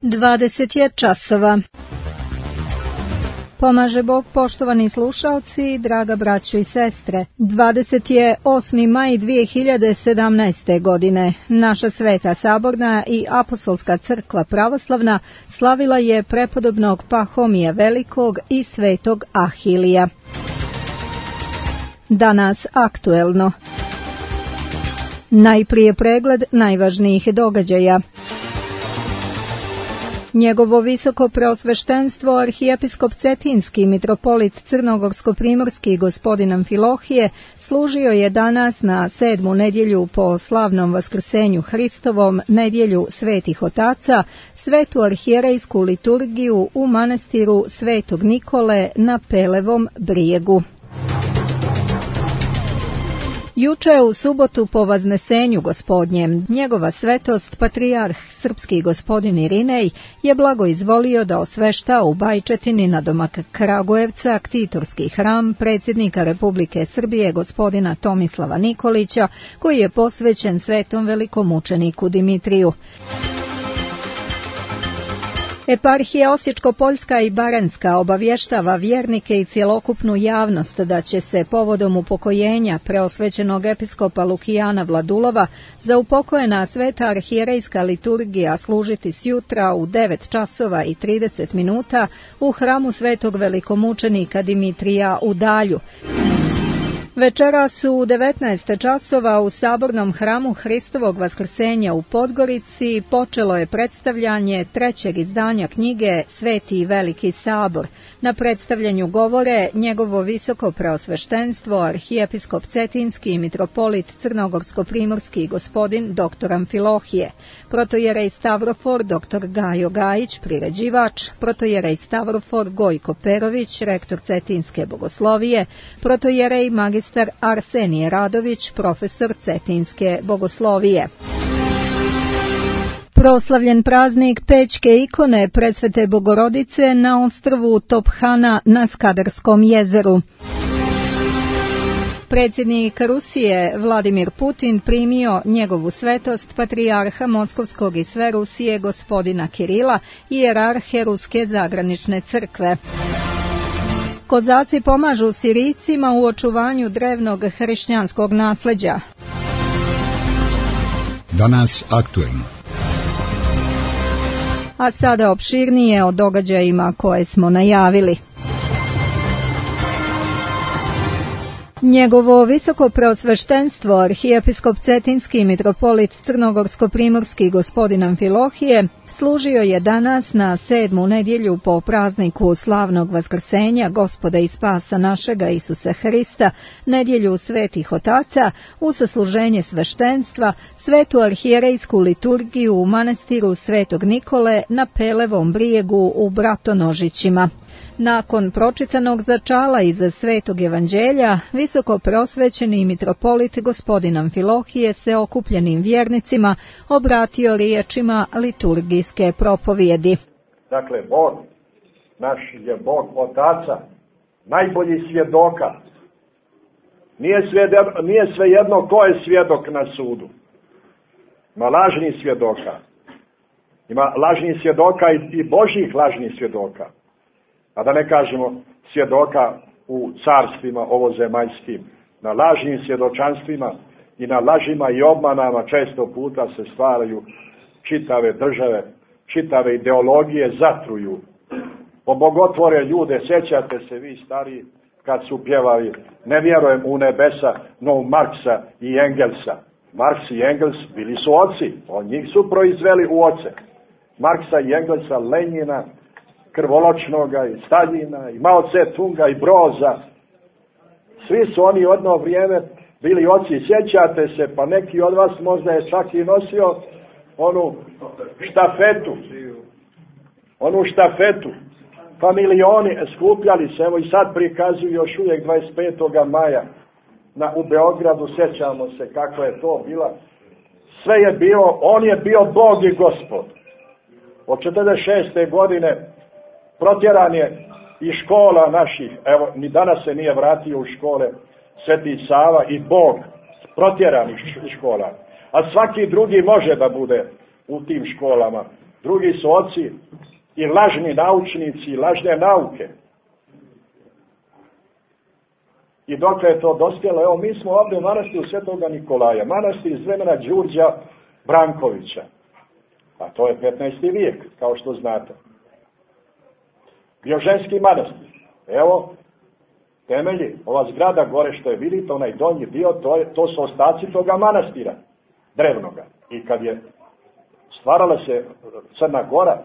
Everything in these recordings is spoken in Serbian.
20 je časova. Pomaže Bog, poštovani slušaoci, draga braćo i sestre. 28. maj 2017. godine. Naša Sveta Saborna i Apostolska crkva pravoslavna slavila je prepodobnog Pahomija Velikog i svetog Ahilija. Danas aktuelno. Najprije pregled najvažnijih događaja. Njegovo visoko preosveštenstvo arhijepiskop Cetinski mitropolit Crnogorsko-primorski gospodin Amfilohije služio je danas na 7. nedjelju po slavnom vaskrsenju Hristovom, nedjelju svetih otaca, svetu arhijerejsku liturgiju u manastiru Svetog Nikole na Pelevom brijegu. Juče u subotu po Vaznesenju gospodnjem, njegova svetost, patrijarh srpski gospodin Irinej, je blago izvolio da osvešta u Bajčetini nadomak Kragujevca ktitorski hram predsjednika Republike Srbije gospodina Tomislava Nikolića, koji je posvećen svetom velikomučeniku Dimitriju. Eparhija Osječko-Poljska i Baranjska obavještava vjernike i cjelokupnu javnost da će se povodom upokojenja preosvećenog episkopa Lukijana Vladulova za upokojena sveta arhijerejska liturgija služiti sjutra u 9 časova i 30 minuta u hramu svetog velikomučenika Dimitrija u Dalju. Večeras u 19 časova u Sabornom hramu Hristovog vaskrsenja u Podgorici počelo je predstavljanje trećeg izdanja knjige Sveti i Veliki Sabor. Na predstavljanju govore njegovo visoko preosveštenstvo arhijepiskop Cetinski i mitropolit Crnogorsko-primorski gospodin dr. Amfilohije, protojerej Stavrofor dr. Gajo Gajić, priređivač, protojerej Stavrofor Gojko Perović, rektor Cetinske bogoslovije, protojerej magistar Arsenije Radović, profesor Cetinske bogoslovije. Proslavljen praznik Pećke ikone Presvete Bogorodice na ostrvu Tophana na Skadarskom jezeru. Predsjednik Rusije Vladimir Putin primio njegovu svetost patrijarha Moskovskog i sve Rusije gospodina Kirila i hijerarhe Ruske zagranične crkve. Kozaci pomažu Sirijcima u očuvanju drevnog hrišćanskog nasljeđa. Danas aktuelno. A sada opširnije o događajima koje smo najavili. Njegovo visoko preosveštenstvo arhijepiskop Cetinski mitropolit Crnogorsko-primorski gospodin Amfilohije služio je danas na 7. nedjelju po prazniku slavnog vaskrsenja Gospoda i spasa našega Isusa Hrista, nedjelju svetih otaca, u sasluženje sveštenstva, svetu arhijerejsku liturgiju u manastiru Svetog Nikole na Pelevom brijegu u Bratonožićima. Nakon pročitanog začala iz Svetog evanđelja, visoko prosvećeni mitropolit gospodin Amfilohije se okupljenim vjernicima obratio riječima liturgijske propovjedi. Dakle, Bog, naš je Bog Otaca, najbolji svjedoka. Nije svejedno ko je svjedok na sudu. Ima lažnih svjedoka. Ima lažnih svjedoka i Božjih lažnih svjedoka. A da ne kažemo svjedoka u carstvima ovozemaljskim. Na lažnim svjedočanstvima i na lažima i obmanama često puta se stvaraju čitave države, čitave ideologije zatruju. Obogotvore ljude, sjećate se vi stariji kad su pjevali ne vjerujem u nebesa, no u Marksa i Engelsa. Marks i Engels bili su oci, od njih su proizveli u oce. Marksa i Engelsa, Lenjina, Krvoločnoga i Staljina i Mao Tse-tunga i Broza. Svi su oni jedno vrijeme bili oci, sjećate se, pa neki od vas možda je čak i nosio onu štafetu. Pa milioni skupljali se, evo i sad prikazuju još uvijek 25. maja u Beogradu, sjećamo se kako je to bila. Sve je bilo, on je bio Bog i Gospod. Od 46. godine protjeran je iz škola naših, evo, ni danas se nije vratio u škole Sveti Sava i Bog, protjeran iz škola. A svaki drugi može da bude u tim školama drugi su oci i lažni naučnici i lažne nauke. I dokle je to dospjelo? Evo, mi smo ovdje u manastiru Svetoga Nikolaja, manastir iz vremena Đurđa Brankovića. A to je 15. vijek, kao što znate. Bio ženski manastir. Evo, temelji, ova zgrada gore što je vidite, onaj donji dio, to su ostaci toga manastira, drevnoga. I kad je stvarala se Crna Gora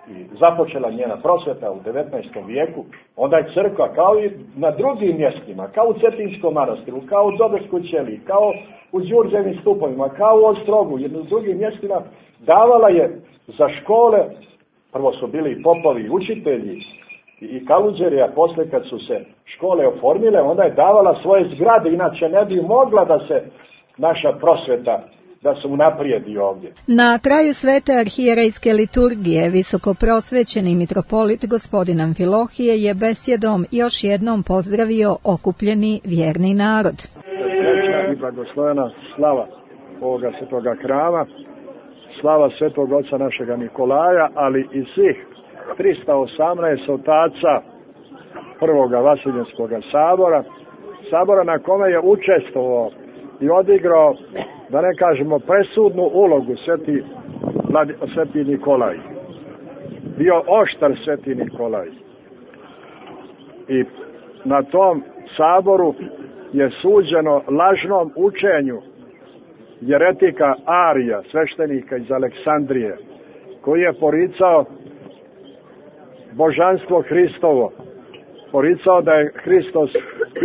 i započela njena prosveta u 19. vijeku, onda je crkva, kao i na drugim mjestima, kao u Cetinskom manastiru, kao u Dobrskoj ćeliji, kao u Đurđevim stupovima, kao u Ostrogu, jedno s drugim mjestima, davala je za škole, prvo su bili i popovi i učitelji i kaluđeri, a posle kad su se škole oformile, onda je davala svoje zgrade, inače ne bi mogla da se naša prosveta da se unaprijedi ovdje. Na kraju svete arhijerejske liturgije visokoprosvećeni mitropolit gospodin Amfilohije je besjedom još jednom pozdravio okupljeni vjerni narod. Srećna i blagoslovena slava ovoga svetoga hrama, slava svetog oca našega Nikolaja, ali i svih 318 otaca prvoga Vaseljenskog sabora na kome je učestvovao i odigrao, da ne kažemo, presudnu ulogu sveti Nikolaj. Bio oštar sveti Nikolaj. I na tom saboru je suđeno lažnom učenju jeretika Arija, sveštenika iz Aleksandrije, koji je poricao božanstvo Hristovo, poricao da je Hristos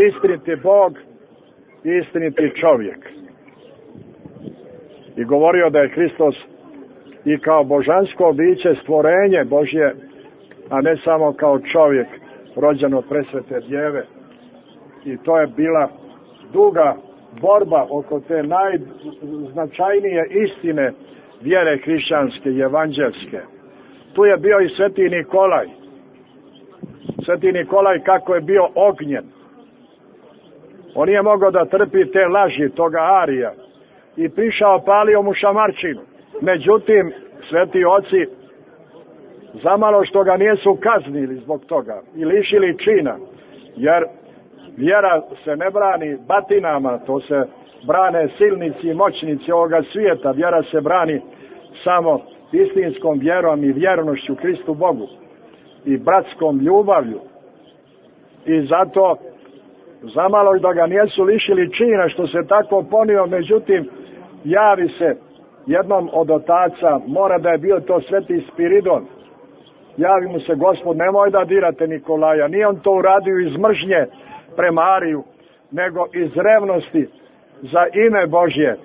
istiniti Bog i istiniti čovjek. I govorio da je Hristos i kao božansko biće stvorenje Božje, a ne samo kao čovjek rođen od presvete djeve. I to je bila duga borba oko te najznačajnije istine vjere hrišćanske i evanđelske. Tu je bio i sveti Nikolaj. Sveti Nikolaj kako je bio ognjen. On nije mogao da trpi te laži toga Arija i prišao palio mu šamarčinu. Međutim, sveti oci zamalo što ga nisu kaznili zbog toga i lišili čina, jer vjera se ne brani batinama, to se brane silnici i moćnici ovoga svijeta. Vjera se brani samo istinskom vjerom i vjernošću Kristu Bogu i bratskom ljubavlju. I zato zamalo da ga nisu lišili čina što se tako ponio, međutim javi se jednom od otaca, mora da je bio to sveti Spiridon, javi mu se: Gospod, nemoj da dirate Nikolaja. Nije on to uradio iz mržnje prema Ariju, nego iz revnosti za ime Božje,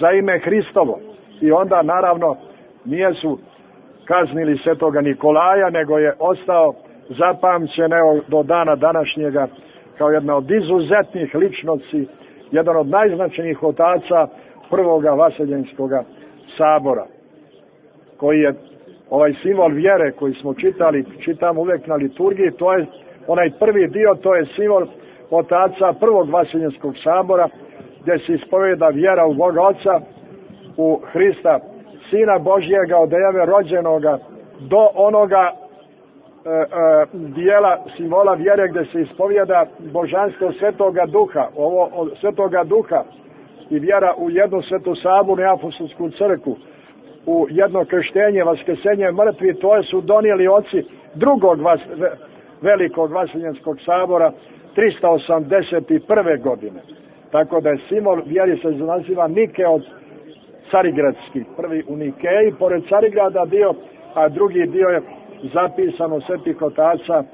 za ime Hristovo. I onda naravno nije su kaznili svetoga Nikolaja, nego je ostao zapamćen do dana današnjega kao jedna od izuzetnih ličnosti, jedan od najznačajnijih otaca prvoga Vaseljenskog sabora, koji je ovaj simbol vjere koji smo čitamo uvijek na liturgiji. To je onaj prvi dio, to je simbol otaca prvog Vaseljenskog sabora, gdje se ispovijeda vjera u Boga Oca, u Hrista, Sina Božjega od Deve rođenoga, do onoga dijela simbola vjere gdje se ispovijeda božanstvo Svetoga Duha, ovo od Svetoga Duha i vjera u jednu svetu sabornu i apostolsku crkvu, u jedno krštenje, vaskrsenje mrtvi. To su donijeli oci drugog velikog Vaseljenskog sabora 381. godine. Tako da je simbol vjeri se naziva Nikeot Carigradski, prvi u Nikeji, pored Carigrada dio, a drugi dio je zapisano svetih otaca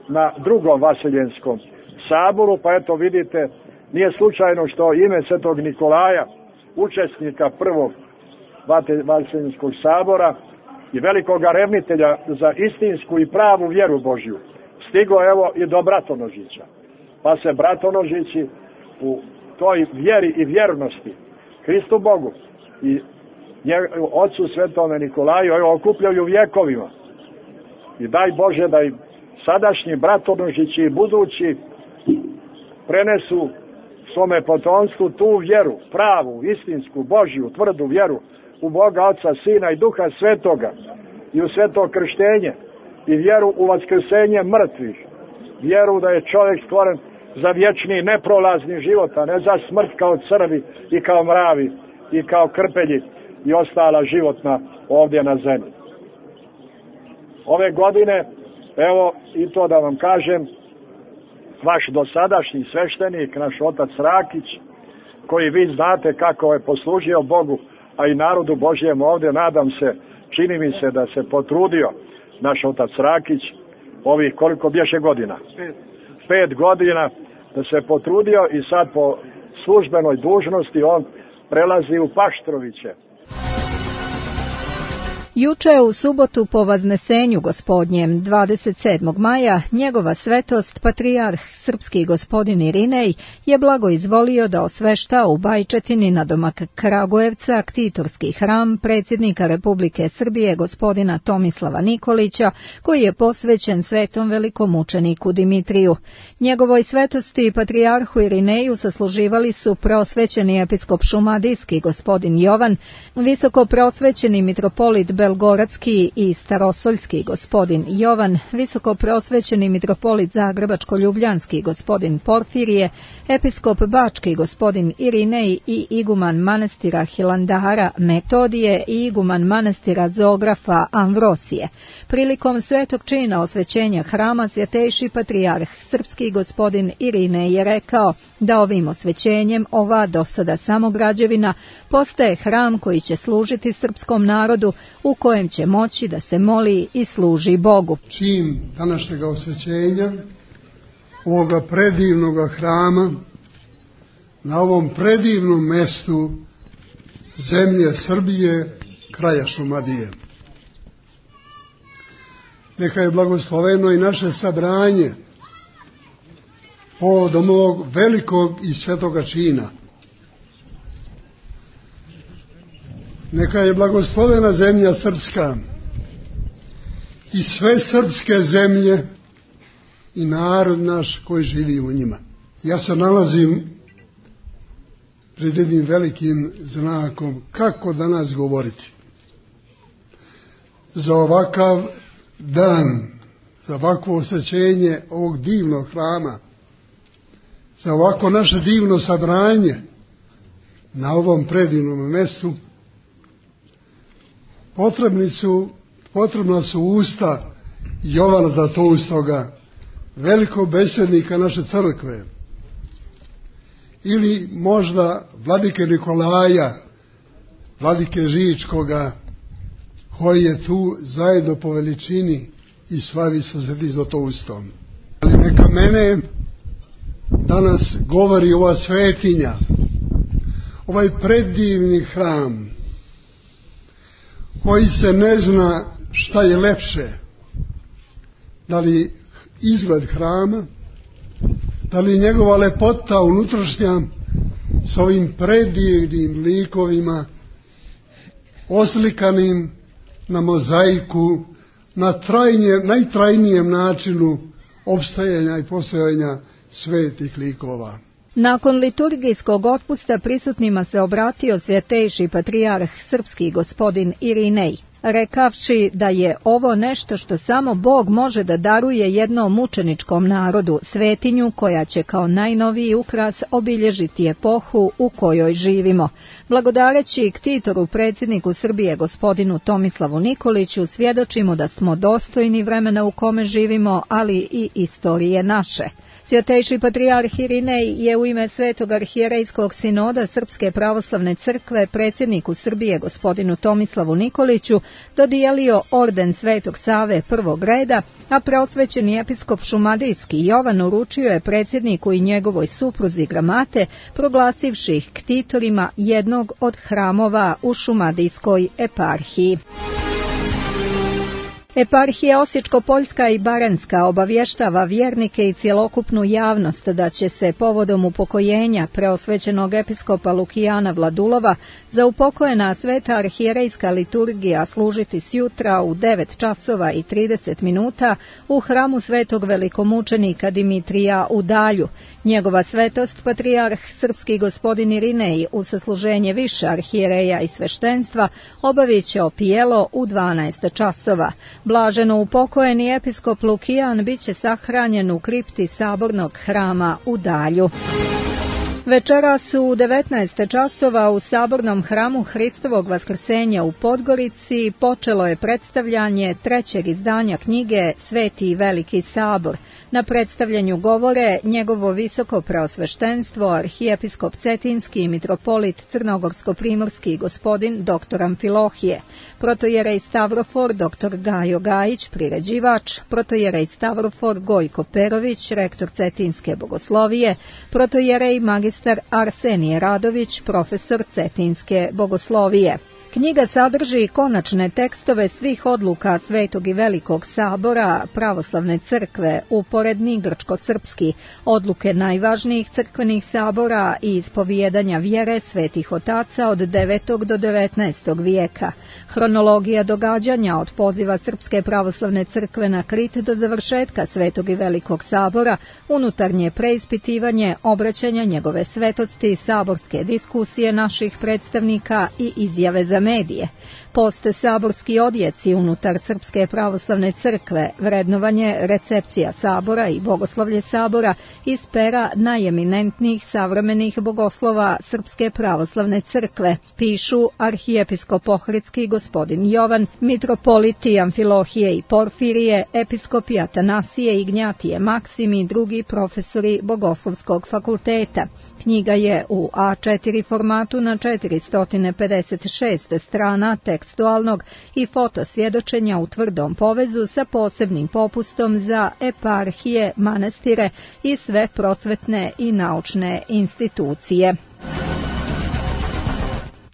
na drugom Vaseljenskom saboru. Pa eto vidite, nije slučajno što ime svetog Nikolaja, učesnika prvog Vaseljenskog sabora i velikoga revnitelja za istinsku i pravu vjeru Božju, stigo evo i do Bratonožića. Pa se Bratonožići u toj vjeri i vjernosti Hristu Bogu i Otcu Svetome Nikolaju okupljaju vjekovima. I daj Bože da i sadašnji Bratonožići i budući prenesu svome potomstvu tu vjeru, pravu, istinsku, Božju, tvrdu vjeru u Boga Oca, Sina i Duha Svetoga, i u sveto krštenje i vjeru u vaskrsenje mrtvih, vjeru da je čovjek stvoren za vječni neprolazni život, a ne za smrt kao crvi i kao mravi i kao krpelji i ostala životna ovdje na zemlji. Ove godine, evo i to da vam kažem, vaš dosadašnji sveštenik, naš otac Rakić, koji vi znate kako je poslužio Bogu, a i narodu Božjem ovdje, nadam se, čini mi se da se potrudio naš otac Rakić, ovih koliko bješe godina? 5 godina, da se potrudio i sad po službenoj dužnosti on prelazi u Paštroviće. Juče u subotu po Vaznesenju Gospodnjem 27. maja njegova svetost patrijarh srpski gospodin Irinej je blago izvolio da osvešta u Bajčetini nadomak Kragujevca ktitorski hram predsjednika Republike Srbije gospodina Tomislava Nikolića, koji je posvećen svetom velikomučeniku Dimitriju. Njegovoj svetosti patrijarhu Irineju sasluživali su prosvećeni episkop šumadijski gospodin Jovan, visoko prosvećeni mitropolit Belgoradski i Starosoljski gospodin Jovan, visoko prosvećeni mitropolit Zagrebačko-Ljubljanski gospodin Porfirije, episkop Bački gospodin Irinej i iguman manastira Hilandara Metodije i iguman manastira Zografa Amvrosije. Prilikom svetog čina osvećenja hrama svjetejši patrijarh srpski gospodin Irinej je rekao da ovim osvećenjem ova dosada samo građevina postaje hram koji će služiti srpskom narodu, u kojem će moći da se moli i služi Bogu. Čin današnjeg osvećenja ovoga predivnog hrama na ovom predivnom mestu zemlje Srbije, kraja Šumadije. Neka je blagosloveno i naše sabranje povodom ovog velikog i svetoga čina. Neka je blagoslovena zemlja srpska i sve srpske zemlje i narod naš koji živi u njima. Ja se nalazim pred jednim velikim znakom kako danas govoriti. Za ovakav dan, za ovakvo osvećenje ovog divnog hrama, za ovako naše divno sabranje na ovom predivnom mjestu, potrebna su usta Jovana Zlatoustoga, velikog besednika naše crkve, ili možda vladike Nikolaja, vladike Žičkoga, koji je tu zajedno po veličini i slavi sa Svetim Zlatoustom. Ali neka mene danas govori ova svetinja, ovaj predivni hram, koji se ne zna šta je lepše, da li izgled hrama, da li njegova lepota unutrašnja s ovim predivnim likovima oslikanim na mozaiku, na najtrajnijem načinu opstajanja i postojanja svetih likova. Nakon liturgijskog otpusta prisutnima se obratio svjetejši patrijarh srpski gospodin Irinej, rekavši da je ovo nešto što samo Bog može da daruje jednom mučeničkom narodu, svetinju koja će kao najnoviji ukras obilježiti epohu u kojoj živimo. Blagodareći ktitoru predsjedniku Srbije gospodinu Tomislavu Nikoliću svjedočimo da smo dostojni vremena u kome živimo, ali i istorije naše. Svjetejši patrijarh Irinej je u ime Svetog arhijerejskog sinoda Srpske pravoslavne crkve predsjedniku Srbije gospodinu Tomislavu Nikoliću dodijelio orden Svetog Save prvog reda, a preosvećeni episkop šumadijski Jovan uručio je predsjedniku i njegovoj supruzi gramate, proglasivši ih ktitorima jednog od hramova u šumadijskoj eparhiji. Eparhija Osječko-Poljska i Baranjska obavještava vjernike i cjelokupnu javnost da će se povodom upokojenja preosvećenog episkopa Lukijana Vladulova za upokojena sveta arhijerejska liturgija služiti sjutra u 9 časova i 30 minuta u hramu svetog velikomučenika Dimitrija u Dalju. Njegova svetost, patrijarh srpski gospodin Irinej, u sasluženje više arhijereja i sveštenstva, obavit će opijelo u 12 časova. Blaženo upokojeni episkop Lukijan bit će sahranjen u kripti sabornog hrama u Dalju. Večeras u 19 časova u sabornom hramu Hristovog vaskrsenja u Podgorici počelo je predstavljanje trećeg izdanja knjige Sveti i Veliki sabor. Na predstavljanju govore njegovo visoko preosveštenstvo, arhijepiskop Cetinski i mitropolit Crnogorsko-primorski gospodin dr. Amfilohije, protojerej Stavrofor dr. Gajo Gajić, priređivač, protojerej Stavrofor Gojko Perović, rektor Cetinske bogoslovije, protojerej magistar Arsenije Radović, profesor Cetinske bogoslovije. Knjiga sadrži konačne tekstove svih odluka Svetog i Velikog sabora Pravoslavne crkve, uporedni grčko-srpski, odluke najvažnijih crkvenih sabora i ispovijedanja vjere svetih otaca od 9. do 19. vijeka, hronologija događanja od poziva Srpske pravoslavne crkve na Krit do završetka Svetog i Velikog sabora, unutarnje preispitivanje obraćanja njegove svetosti, saborske diskusije naših predstavnika i izjave za medije, post saborski odjeci unutar Srpske pravoslavne crkve, vrednovanje recepcija sabora i bogoslovlje sabora iz pera najeminentnijih savremenih bogoslova Srpske pravoslavne crkve, pišu arhijepiskop Ohridski gospodin Jovan, mitropoliti Amfilohije i Porfirije, episkopi Atanasije i Gnjatije Maksim i drugi profesori Bogoslovskog fakulteta. Knjiga je u A4 formatu na 456 strana tekstualnog i fotosvjedočenja u tvrdom povezu sa posebnim popustom za eparhije, manastire i sve prosvetne i naučne institucije.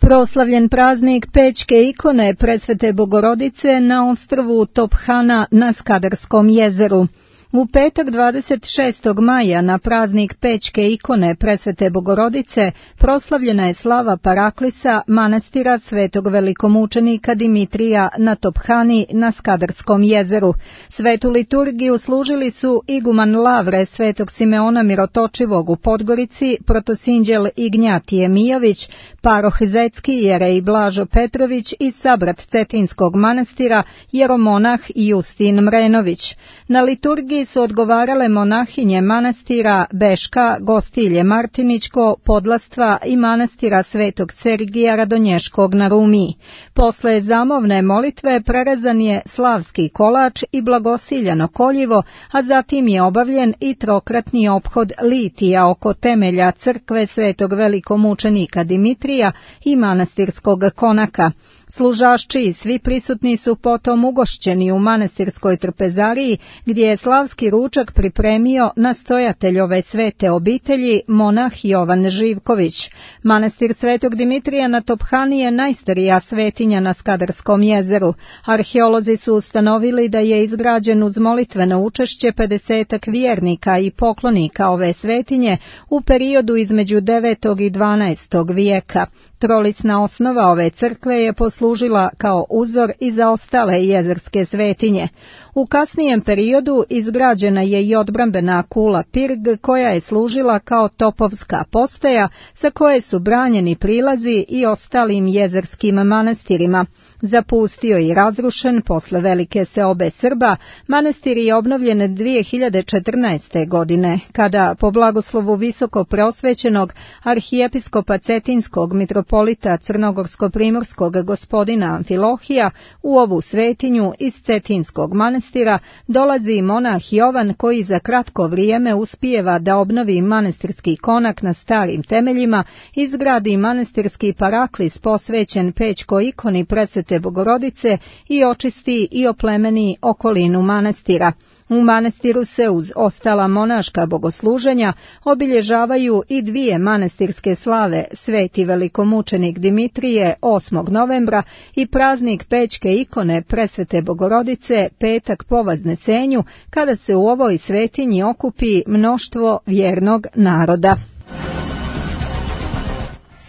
Proslavljen praznik Pećke ikone Presvete Bogorodice na ostrvu Tophana na Skadarskom jezeru. U petak 26. maja na praznik Pećke ikone Presvete Bogorodice proslavljena je slava Paraklisa manastira Svetog velikomučenika Dimitrija na Tophani na Skadarskom jezeru. Svetu liturgiju služili su iguman Lavre Svetog Simeona Mirotočivog u Podgorici, protosinđel Ignjatije Mijović, paroh Zetski jerej Blažo Petrović i sabrat Cetinskog manastira jeromonah Justin Mrenović. Na liturgiji su odgovarale monahinje manastira Beška, Gostilje Martiničko, Podlastva i manastira Svetog Sergija Radonješkog na Rumiji. Posle zamovne molitve prerezan je slavski kolač i blagosiljano koljivo, a zatim je obavljen i trokratni ophod litija oko temelja crkve Svetog velikomučenika Dimitrija i manastirskog konaka. Služašči i svi prisutni su potom ugošćeni u manastirskoj trpezariji, gdje je slavski ručak pripremio nastojatelj ove svete obitelji, monah Jovan Živković. Manastir Svetog Dimitrija na Tophani je najstarija svetinja na Skadarskom jezeru. Arheolozi su ustanovili da je izgrađen uz molitveno učešće 50 vjernika i poklonika ove svetinje u periodu između 9. i 12. vijeka. Trolisna osnova ove crkve je poslužila kao uzor i za ostale jezerske svetinje. U kasnijem periodu izgrađena je i odbrambena kula Pirg koja je služila kao topovska postaja sa koje su branjeni prilazi i ostalim jezerskim manastirima. Zapustio i razrušen posle velike seobe Srba, manastir je obnovljen 2014. godine, kada po blagoslovu visoko preosvećenog arhijepiskopa Cetinskog mitropolita Crnogorsko-primorskog gospodina Amfilohija u ovu svetinju iz Cetinskog manastira dolazi monah Jovan koji za kratko vrijeme uspijeva da obnovi manastirski konak na starim temeljima, izgradi manastirski paraklis posvećen Pećkoj ikoni Presvete presvete Bogorodice i očisti i oplemeni okolinu manastira. U manastiru se uz ostala monaška bogosluženja obilježavaju i dvije manastirske slave, sveti velikomučenik Dimitrije 8. novembra i praznik Pećke ikone presvete Bogorodice petak po Vaznesenju, kada se u ovoj svetinji okupi mnoštvo vjernog naroda.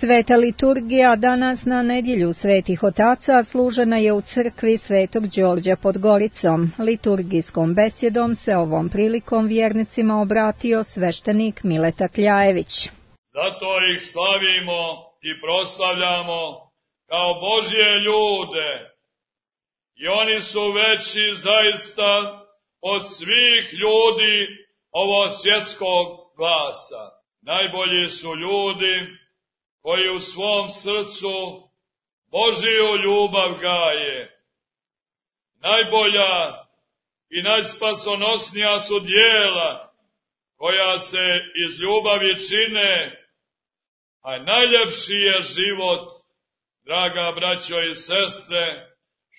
Sveta liturgija danas na nedjelju Svetih Otaca služena je u crkvi Svetog Đorđa pod Goricom. Liturgijskom besjedom se ovom prilikom vjernicima obratio sveštenik Mileta Kljajević. Zato ih slavimo i proslavljamo kao Božje ljude. I oni su veći zaista od svih ljudi ovo svjetskog glasa. Najbolji su ljudi koji u svom srcu Božiju ljubav gaje. Najbolja i najspasonosnija su djela koja se iz ljubavi čine, a najljepši je život, draga braćo i sestre,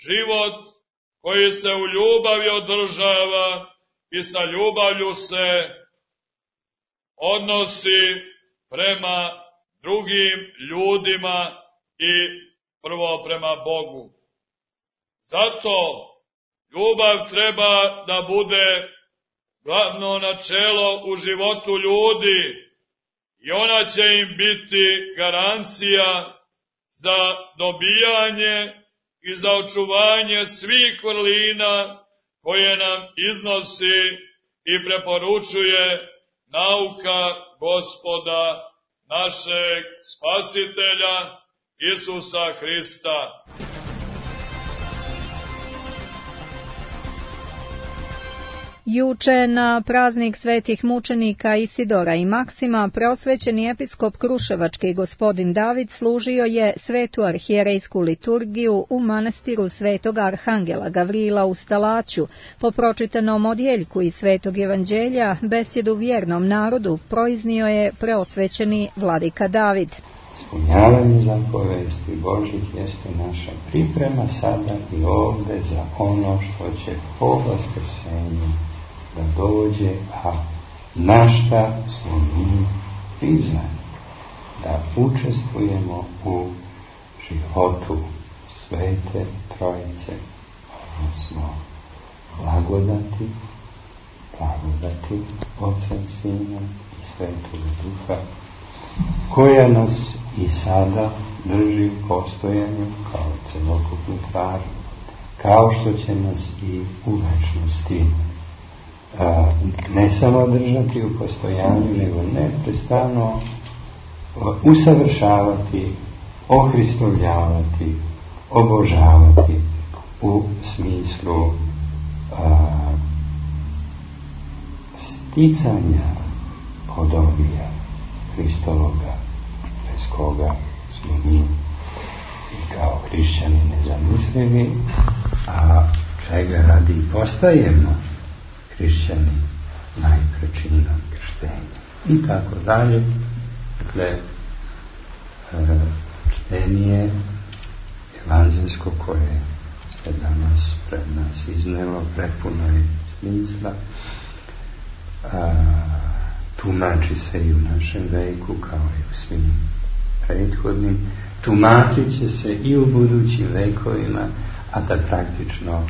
život koji se u ljubavi održava i sa ljubavlju se odnosi prema drugim ljudima i prvo prema Bogu. Zato ljubav treba da bude glavno načelo u životu ljudi i ona će im biti garancija za dobijanje i za očuvanje svih vrlina koje nam iznosi i preporučuje nauka Gospoda našeg Spasitelja Isusa Hrista. Juče na praznik svetih mučenika Isidora i Maksima preosvećeni episkop Kruševački gospodin David služio je svetu arhijerejsku liturgiju u manastiru Svetog Arhangela Gavrila u Stalaću. Po pročitanom odjeljku iz Svetog evanđelja besjedu vjernom narodu proiznio je preosvećeni vladika David. Ispunjavanje zapovesti Božih jeste naša priprema sada i ovde za ono što će po vaskrsenju da dođe, a na šta smo mi prizvani da učestvujemo u životu Svete Trojice, odnosno blagodati Oca i Sina i Svetoga Duha, koja nas i sada drži u postojanju kao celokupnu tvar, kao što će nas i u večnosti ne samo držati u postojanju, nego neprestano usavršavati, ohristovljavati, obožavati u smislu sticanja podobija Hristovoga, bez koga smo mi kao hrišćani nezamislivi, a čega radi postajemo hrišćani najprečinom krštenja. I tako dalje. Dakle, čtenje evanđelsko koje se danas pred nas iznelo prepuno je smisla. Tumači se i u našem veku kao i u svim prethodnim. Tumačit će se i u budućim vekovima, a da praktično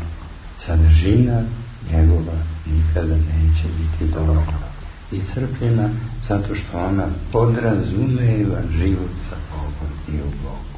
sadržina njegova nikada neće biti dovoljno iscrpljena, zato što ona podrazumeva život sa Bogom i u Bogu.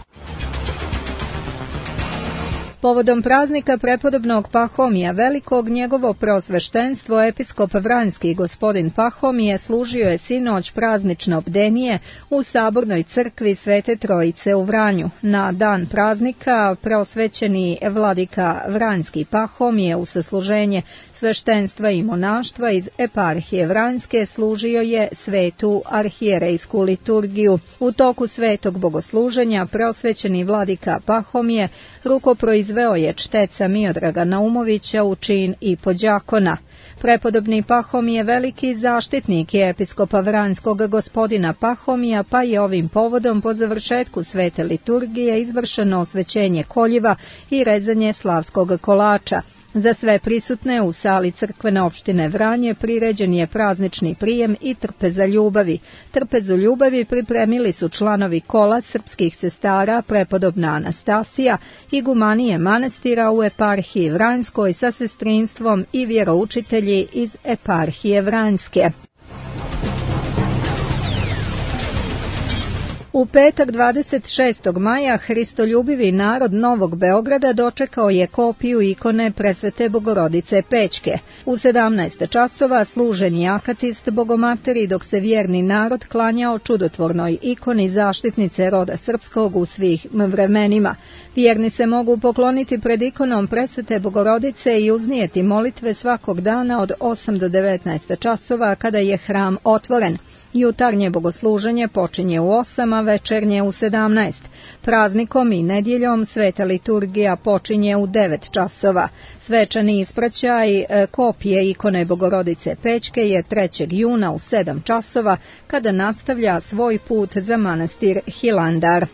Povodom praznika prepodobnog Pahomija Velikog, njegovo preosveštenstvo episkop Vranjski gospodin Pahomije služio je sinoć praznično bdenije u Sabornoj crkvi Svete Trojice u Vranju. Na dan praznika preosvećeni vladika Vranjski Pahomije u sasluženje sveštenstva i monaštva iz eparhije Vranjske služio je svetu arhijerejsku liturgiju. U toku svetog bogosluženja preosvećeni vladika Pahomije rukoproizvedio izveo je čteca Miodraga Naumovića u čin i podjakona. Prepodobni Pahomije veliki zaštitnik je episkopa Vranjskog gospodina Pahomija, pa je ovim povodom po završetku svete liturgije izvršeno osvećenje koljiva i rezanje slavskog kolača. Za sve prisutne u sali crkvene opštine Vranje priređen je praznični prijem i trpeza ljubavi. Trpezu ljubavi pripremili su članovi kola srpskih sestara prepodobna Anastasija, igumanije manastira u eparhiji Vranjskoj sa sestrinstvom i vjeroučitelji iz eparhije Vranjske. U petak 26. maja hristoljubivi narod Novog Beograda dočekao je kopiju ikone Presvete Bogorodice Pećke. U 17 časova služen je akatist Bogomateri, dok se vjerni narod klanjao čudotvornoj ikoni zaštitnice roda srpskog u svih vremenima. Vjerni se mogu pokloniti pred ikonom Presvete Bogorodice i uznijeti molitve svakog dana od 8 do 19 časova kada je hram otvoren. Jutarnje bogosluženje počinje u 8, a večernje u 17. Praznikom i nedjeljom sveta liturgija počinje u 9 časova. Svečani ispraćaj kopije ikone Bogorodice Pećke je 3. juna u 7 časova, kada nastavlja svoj put za manastir Hilandar.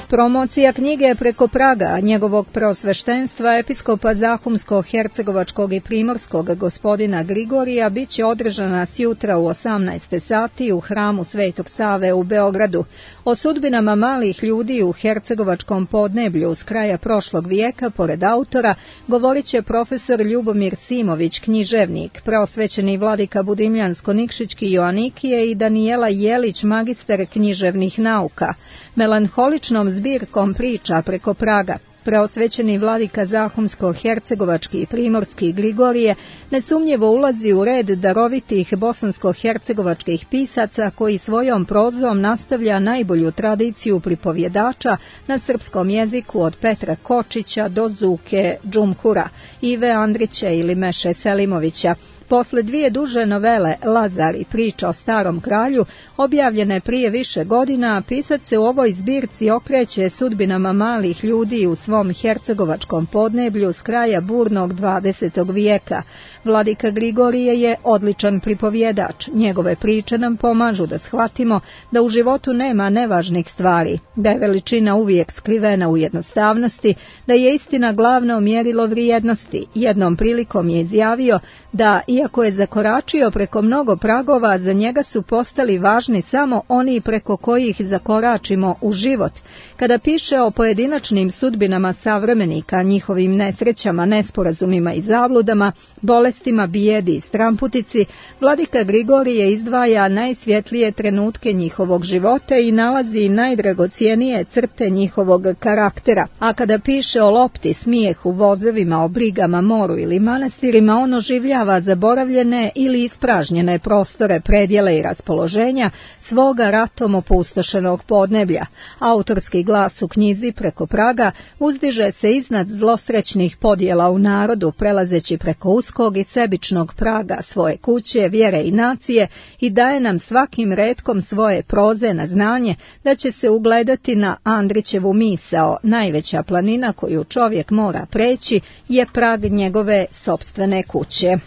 Promocija knjige preko praga njegovog preosveštenstva episkopa Zahumsko-hercegovačkog i primorskog gospodina Grigorija bit će održana sjutra u 18 sati u hramu Svetog Save u Beogradu. O sudbinama malih ljudi u hercegovačkom podneblju s kraja prošlog vijeka, pored autora, govorit će profesor Ljubomir Simović, književnik, preosvećeni vladika Budimljansko-Nikšićki Joanikije i Danijela Jelić, magister književnih nauka. Melanholičnom zbirkom priča preko praga preosvećeni vladika Zahumsko-hercegovački i primorski Grigorije nesumnjivo ulazi u red darovitih bosansko-hercegovačkih pisaca koji svojom prozom nastavlja najbolju tradiciju pripovjedača na srpskom jeziku od Petra Kočića do Zuke Džumhura, Ive Andrića ili Meše Selimovića. Posle dvije duže novele Lazar i priča o starom kralju, objavljene prije više godina, pisac se u ovoj zbirci okreće sudbinama malih ljudi u svom hercegovačkom podneblju s kraja burnog 20. vijeka. Vladika Grigorije je odličan pripovjedač. Njegove priče nam pomažu da shvatimo da u životu nema nevažnih stvari, da je veličina uvijek skrivena u jednostavnosti, da je istina glavno mjerilo vrijednosti. Jednom prilikom je izjavio da, iako je zakoračio preko mnogo pragova, za njega su postali važni samo oni preko kojih zakoračimo u život. Kada piše o pojedinačnim sudbinama savremenika, njihovim nesrećama, nesporazumima i zabludama, bolestima, bijedi i stramputici, vladika Grigorije izdvaja najsvjetlije trenutke njihovog života i nalazi najdragocijenije crte njihovog karaktera. A kada piše o lopti, smijehu, vozovima, o brigama, moru ili manastirima, on oživljava zaboravljene ili ispražnjene prostore, predjele i raspoloženja svoga ratom opustošenog podneblja. Autorski glas u knjizi Preko praga uzdiže se iznad zlosrećnih podjela u narodu, prelazeći preko uskog i sebičnog praga svoje kuće, vjere i nacije, i daje nam svakim retkom svoje proze na znanje da će se ugledati na Andrićevu misao: najveća planina koju čovjek mora preći je prag njegove sopstvene kuće.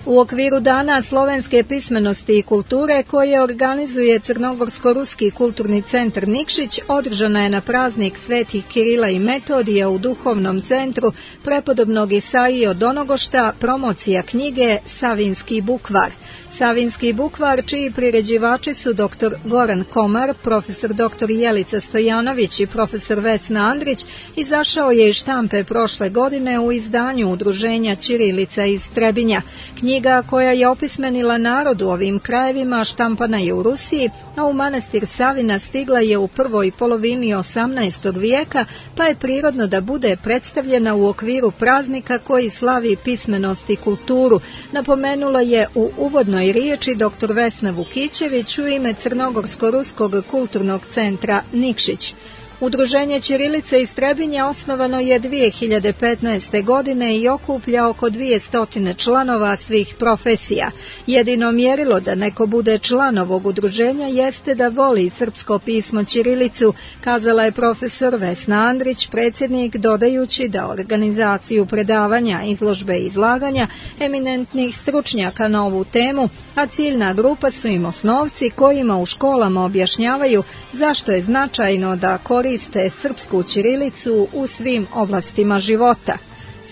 U okviru Dana slovenske pismenosti i kulture koje organizuje Crnogorsko-ruski kulturni centar Nikšić, održana je na praznik Svetih Kirila i Metodija u duhovnom centru prepodobnog Isaije od Donogošta promocija knjige Savinski bukvar. Savinski bukvar, čiji priređivači su dr. Goran Komar, profesor dr. Jelica Stojanović i profesor Vesna Andrić, izašao je iz štampe prošle godine u izdanju Udruženja Ćirilica iz Trebinja. Knjiga koja je opismenila narod u ovim krajevima štampana je u Rusiji, a u manastir Savina stigla je u prvoj polovini 18. vijeka, pa je prirodno da bude predstavljena u okviru praznika koji slavi pismenost i kulturu, napomenula je u uvodnoj riječi dr. Vesna Vukićević u ime Crnogorsko-ruskog kulturnog centra Nikšić. Udruženje Ćirilice iz Trebinja osnovano je 2015. godine i okuplja oko 200 članova svih profesija. Jedino mjerilo da neko bude član ovog udruženja jeste da voli srpsko pismo ćirilicu, kazala je profesor Vesna Andrić, predsjednik, dodajući da organizaciju predavanja, izložbe i izlaganja eminentnih stručnjaka na ovu temu, a ciljna grupa su im osnovci kojima u školama objašnjavaju zašto je značajno da koriste srpsku ćirilicu u svim oblastima života.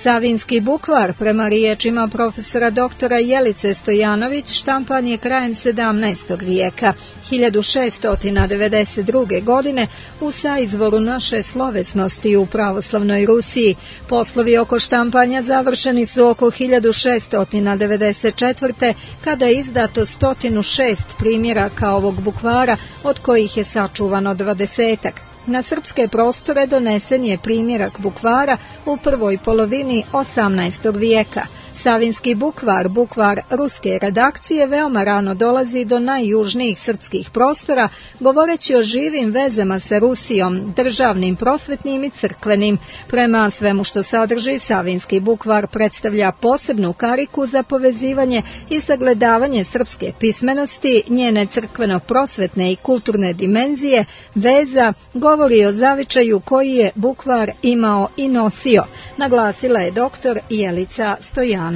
Savinski bukvar, prema riječima profesora doktora Jelice Stojanović, štampan je krajem 17. vijeka. 1692. godine u saizvoru naše slovesnosti u pravoslavnoj Rusiji. Poslovi oko štampanja završeni su oko 1694. kada je izdato 106 primjeraka ovog bukvara, od kojih je sačuvano 20-ak. Na srpske prostore donesen je primjerak bukvara u prvoj polovini 18. vijeka. Savinski bukvar, bukvar ruske redakcije, veoma rano dolazi do najjužnijih srpskih prostora, govoreći o živim vezama sa Rusijom, državnim, prosvetnim i crkvenim. Prema svemu što sadrži, Savinski bukvar predstavlja posebnu kariku za povezivanje i sagledavanje srpske pismenosti, njene crkveno-prosvetne i kulturne dimenzije, veza, govori o zavičaju koji je bukvar imao i nosio, naglasila je doktor Jelica Stojanović.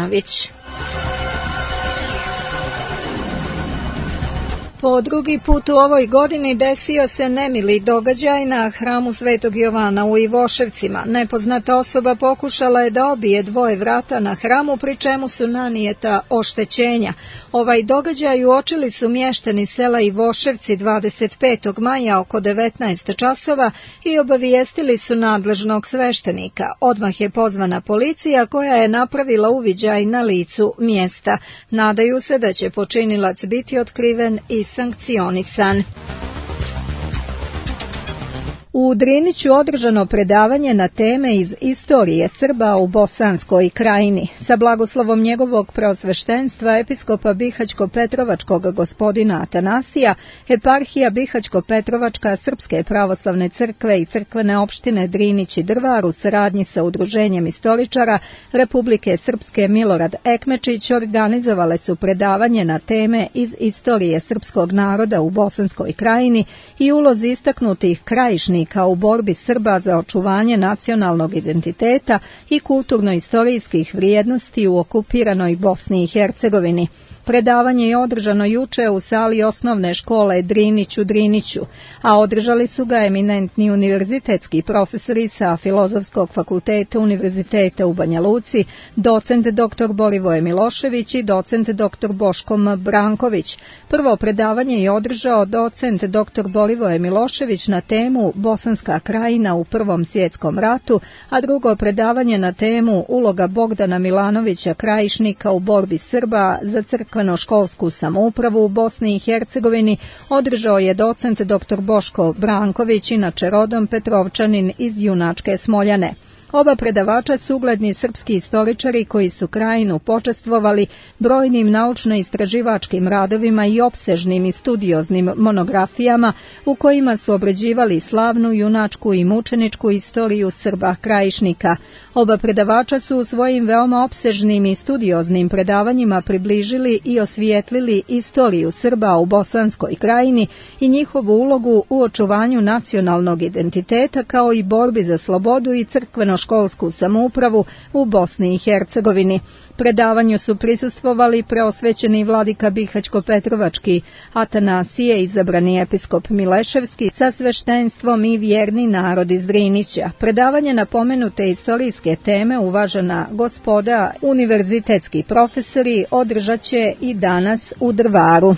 Po drugi put u ovoj godini desio se nemili događaj na hramu Svetog Jovana u Ivoševcima. Nepoznata osoba pokušala je da obije dvoje vrata na hramu, pri čemu su nanijeta oštećenja. Ovaj događaj uočili su mještani sela Ivoševci 25. maja oko 19 časova i obavijestili su nadležnog sveštenika. Odmah je pozvana policija koja je napravila uviđaj na licu mjesta. Nadaju se da će počinilac biti otkriven i sankcionisan. U Driniću održano predavanje na teme iz istorije Srba u Bosanskoj krajini. Sa blagoslovom njegovog preosveštenstva episkopa Bihaćko-Petrovačkog gospodina Atanasija, eparhija Bihaćko-Petrovačka Srpske pravoslavne crkve i crkvene opštine Drinić i Drvar u saradnji sa Udruženjem istoričara Republike Srpske Milorad Ekmečić organizovale su predavanje na teme iz istorije srpskog naroda u Bosanskoj krajini i ulozi istaknutih krajišnika u borbi Srba za očuvanje nacionalnog identiteta i kulturno-istorijskih vrijednosti u okupiranoj Bosni i Hercegovini. Predavanje je održano juče u sali osnovne škole Drinić u Driniću, a održali su ga eminentni univerzitetski profesori sa Filozofskog fakulteta Univerziteta u Banja Luci, docent dr. Borivoje Milošević i docent dr. Boško Branković. Prvo predavanje je održao docent dr. Borivoje Milošević na temu Bosanska krajina u Prvom svjetskom ratu, a drugo predavanje na temu uloga Bogdana Milanovića Krajišnika u borbi Srba za crkveno-školsku samoupravu u Bosni i Hercegovini održao je docent dr. Boško Branković, inače rodom Petrovčanin iz Junačke Smoljane. Oba predavača su ugledni srpski istoričari koji su krajinu počastvovali brojnim naučno-istraživačkim radovima i opsežnim i studioznim monografijama u kojima su obrađivali slavnu junačku i mučeničku istoriju Srba krajišnika. Oba predavača su u svojim veoma opsežnim i studioznim predavanjima približili i osvijetlili istoriju Srba u Bosanskoj krajini i njihovu ulogu u očuvanju nacionalnog identiteta kao i borbi za slobodu i crkveno-školsku samoupravu u Bosni i Hercegovini. Predavanju su prisustvovali preosvećeni vladika Bihaćko-Petrovački Atanasije, izabrani episkop Mileševski sa sveštenstvom i vjerni narod iz Drinića. Predavanje na pomenute istorijske teme uvažena gospoda univerzitetski profesori održat će i danas u Drvaru.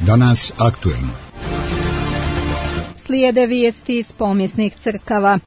Danas aktuelno. Slijede vijesti iz pomijesnih crkava.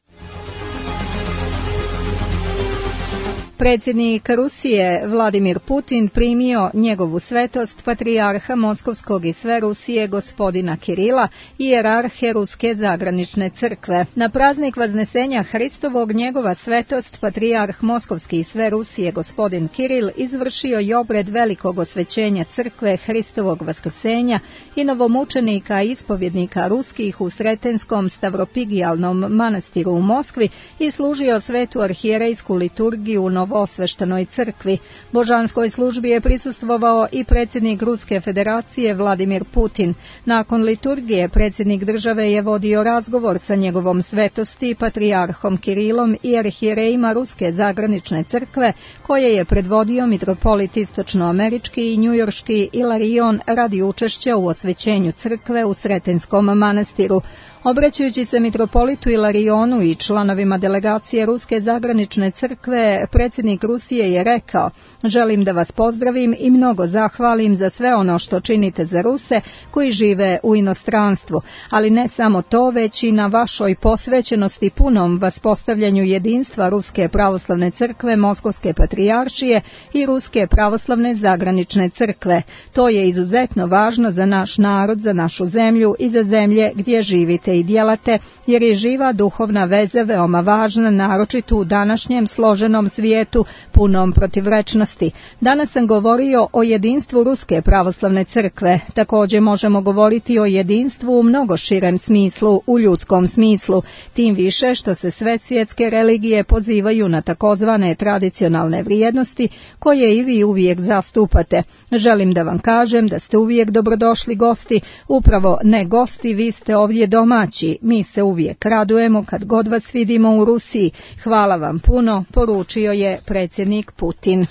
Predsjednik Rusije Vladimir Putin primio njegovu svetost patrijarha Moskovskog i sve Rusije gospodina Kirila, ijerarhe Ruske zagranične crkve. Na praznik Vaznesenja Hristovog njegova svetost patrijarh Moskovski i sve Rusije gospodin Kiril izvršio je obred velikog osvećenja crkve Hristovog vaskrsenja i novomučenika i ispovjednika ruskih u Sretenskom stavropigijalnom manastiru u Moskvi i služio svetu arhijerejsku liturgiju u Novoosveštanoj crkvi. Božanskoj službi je prisustvovao i predsjednik Ruske federacije Vladimir Putin. Nakon liturgije predsjednik države je vodio razgovor sa njegovom svetosti patrijarhom Kirilom i arhijerejima Ruske zagranične crkve, koje je predvodio mitropolit istočnoamerički i njujorški Ilarion radi učešća u osvećenju crkve u Sretenskom manastiru. Obraćajući se mitropolitu Ilarionu i članovima delegacije Ruske zagranične crkve, predsjednik Rusije je rekao: "Želim da vas pozdravim i mnogo zahvalim za sve ono što činite za Ruse koji žive u inostranstvu, ali ne samo to, već i na vašoj posvećenosti punom vaspostavljanju jedinstva Ruske pravoslavne crkve Moskovske patrijaršije i Ruske pravoslavne zagranične crkve. To je izuzetno važno za naš narod, za našu zemlju i za zemlje gdje živite i djelate, jer je živa duhovna veza veoma važna, naročito u današnjem složenom svijetu punom protivrečnosti. Danas sam govorio o jedinstvu Ruske pravoslavne crkve. Također možemo govoriti o jedinstvu u mnogo širem smislu, u ljudskom smislu, tim više što se sve svjetske religije pozivaju na takozvane tradicionalne vrijednosti koje i vi uvijek zastupate. Želim da vam kažem da ste uvijek dobrodošli gosti, upravo ne gosti, vi ste ovdje domaći. Mi se uvijek radujemo kad god vas vidimo u Rusiji. Hvala vam puno", poručio je predsjednik Putin.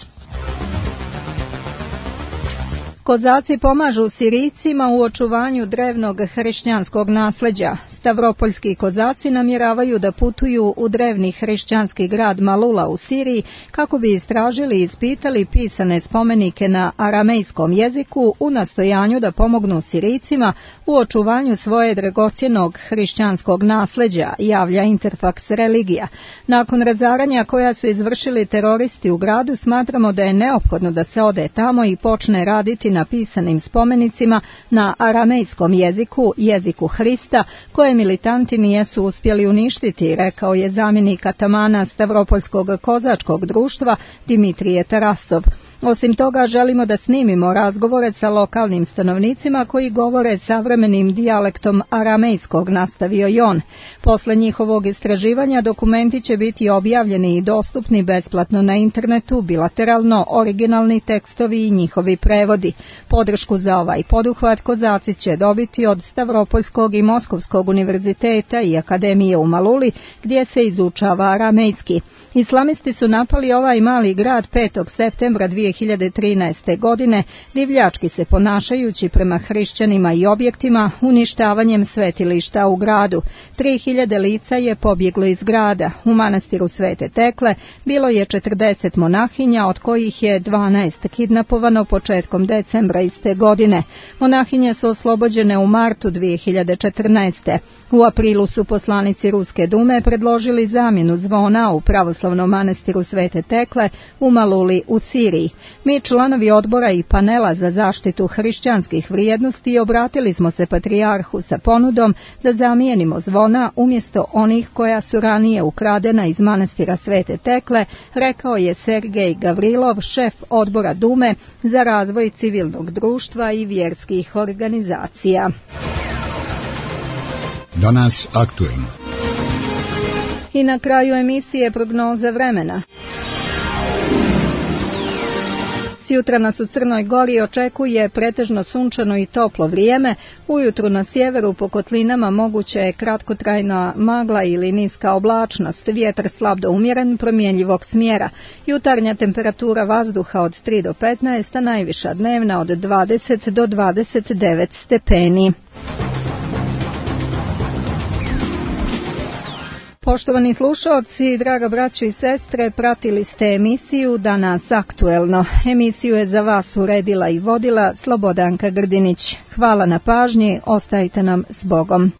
Kozaci pomažu Sirijcima u očuvanju drevnog hrišćanskog nasljeđa. Stavropoljski kozaci namjeravaju da putuju u drevni hrišćanski grad Malula u Siriji kako bi istražili i ispitali pisane spomenike na aramejskom jeziku u nastojanju da pomognu Sirijcima u očuvanju svoje dragocjenog hrišćanskog nasljeđa, javlja Interfax religija. Nakon razaranja koja su izvršili teroristi u gradu, smatramo da je neophodno da se ode tamo i počne raditi na pisanim spomenicima na aramejskom jeziku, jeziku Hrista, koje militanti nisu uspjeli uništiti, rekao je zamjenik atamana Stavropoljskog kozačkog društva Dimitrije Tarasov. Osim toga, želimo da snimimo razgovore sa lokalnim stanovnicima koji govore savremenim dijalektom aramejskog, nastavio je on. Posle njihovog istraživanja dokumenti će biti objavljeni i dostupni besplatno na internetu, bilateralno, originalni tekstovi i njihovi prevodi. Podršku za ovaj poduhvat kozaci će dobiti od Stavropoljskog i Moskovskog univerziteta i akademije u Maluli, gdje se izučava aramejski. Islamisti su napali ovaj mali grad 5. septembra 2013. godine, divljački se ponašajući prema hrišćanima i objektima, uništavanjem svetilišta u gradu. 3000 lica je pobjeglo iz grada. U manastiru Svete Tekle bilo je 40 monahinja, od kojih je 12 kidnapovano početkom decembra iste godine. Monahinje su oslobođene u martu 2014. U aprilu su poslanici Ruske dume predložili zamjenu zvona u pravoslavnom manastiru Svete Tekle u Maluli u Siriji. Mi, članovi odbora i panela za zaštitu hrišćanskih vrijednosti, obratili smo se patrijarhu sa ponudom da zamijenimo zvona umjesto onih koja su ranije ukradena iz manastira Svete Tekle, rekao je Sergej Gavrilov, šef odbora Dume za razvoj civilnog društva i vjerskih organizacija. Danas aktuelno. I na kraju emisije prognoza vremena. Sjutra nas u Crnoj Gori očekuje pretežno sunčano i toplo vrijeme. Ujutru na sjeveru po kotlinama moguće je kratkotrajna magla ili niska oblačnost, vjetar slab do umjeren, promjenjivog smjera. Jutarnja temperatura vazduha od 3 do 15, a najviša dnevna od 20 do 29 stepeni. Poštovani slušalci, draga braćo i sestre, pratili ste emisiju Danas aktuelno. Emisiju je za vas uredila i vodila Slobodanka Grdinić. Hvala na pažnji, ostajte nam s Bogom.